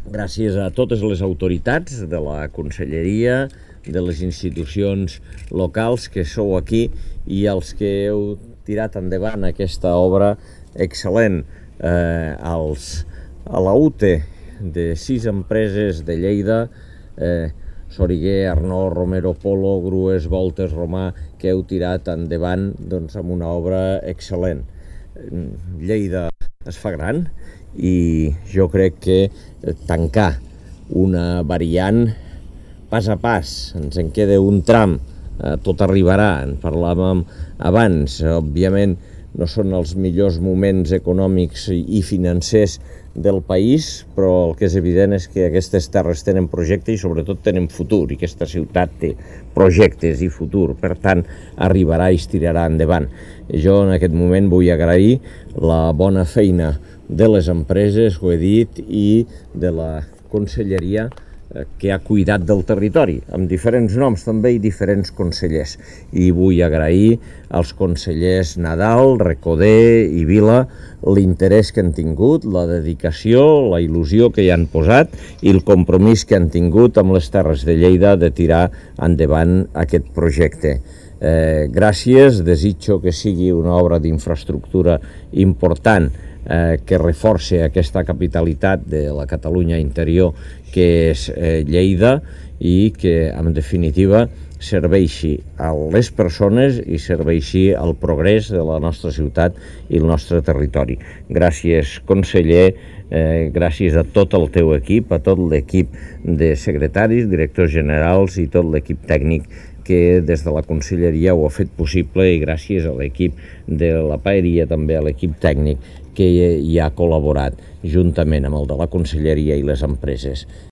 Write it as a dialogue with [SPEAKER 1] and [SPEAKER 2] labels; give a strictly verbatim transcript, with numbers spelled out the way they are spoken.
[SPEAKER 1] gràcies a totes les autoritats de la Conselleria, de les institucions locals que sou aquí i els que heu tirat endavant aquesta obra excel·lent. Eh, als, a la U T E de sis empreses de Lleida, eh, Soriguer, Arnó, Romero, Polo, Grues, Voltes, Romà, que heu tirat endavant doncs, amb una obra excel·lent. Lleida es fa gran i jo crec que tancar una variant pas a pas, ens en queda un tram, eh, tot arribarà, en parlàvem abans, òbviament no són els millors moments econòmics i financers del país, però el que és evident és que aquestes terres tenen projecte i sobretot tenen futur, i aquesta ciutat té projectes i futur, per tant arribarà i es tirarà endavant. Jo en aquest moment vull agrair la bona feina de les empreses, ho he dit, i de la Conselleria que ha cuidat del territori, amb diferents noms també i diferents consellers. I vull agrair als consellers Nadal, Recoder i Vila l'interès que han tingut, la dedicació, la il·lusió que hi han posat i el compromís que han tingut amb les Terres de Lleida de tirar endavant aquest projecte. Eh, gràcies, desitjo que sigui una obra d'infraestructura important eh, que reforci aquesta capitalitat de la Catalunya interior que és eh, Lleida i que, en definitiva, serveixi a les persones i serveixi al progrés de la nostra ciutat i el nostre territori. Gràcies, conseller, eh, gràcies a tot el teu equip, a tot l'equip de secretaris, directors generals i tot l'equip tècnic que des de la Conselleria ho ha fet possible, i gràcies a l'equip de la Paeria, també a l'equip tècnic que hi ha col·laborat juntament amb el de la Conselleria i les empreses.